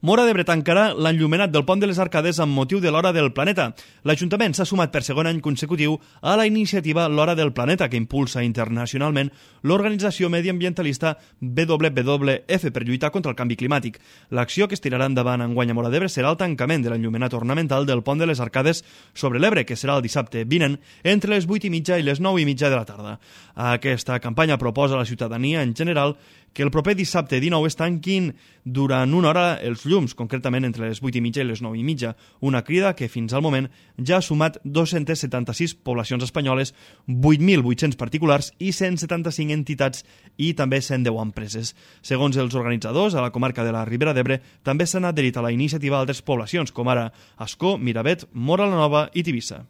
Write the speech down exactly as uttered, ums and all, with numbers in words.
Móra d'Ebre tancarà l'enllumenat del pont de les Arcades amb motiu de l'Hora del Planeta. L'Ajuntament s'ha sumat per segon any consecutiu a la iniciativa L'Hora del Planeta, que impulsa internacionalment l'organització mediambientalista W W F per lluitar contra el canvi climàtic. L'acció que es tirarà endavant enguany a Móra d'Ebre serà el tancament de l'enllumenat ornamental del pont de les Arcades sobre l'Ebre, que serà el dissabte vinent entre les vuit i mitja i les nou i mitja de la tarda. Aquesta campanya proposa a la ciutadania en general que el proper dissabte dinou es tanquin durant una hora els llums, concretament entre les vuit i mitja i les nou i mitja, una crida que fins al moment ja ha sumat dos-centes setanta-sis poblacions espanyoles, vuit mil vuit-cents particulars i cent setanta-cinc entitats i també cent deu empreses. Segons els organitzadors, a la comarca de la Ribera d'Ebre també s'han adherit a la iniciativa altres poblacions, com ara Ascó, Miravet, Móra la Nova i Tivissa.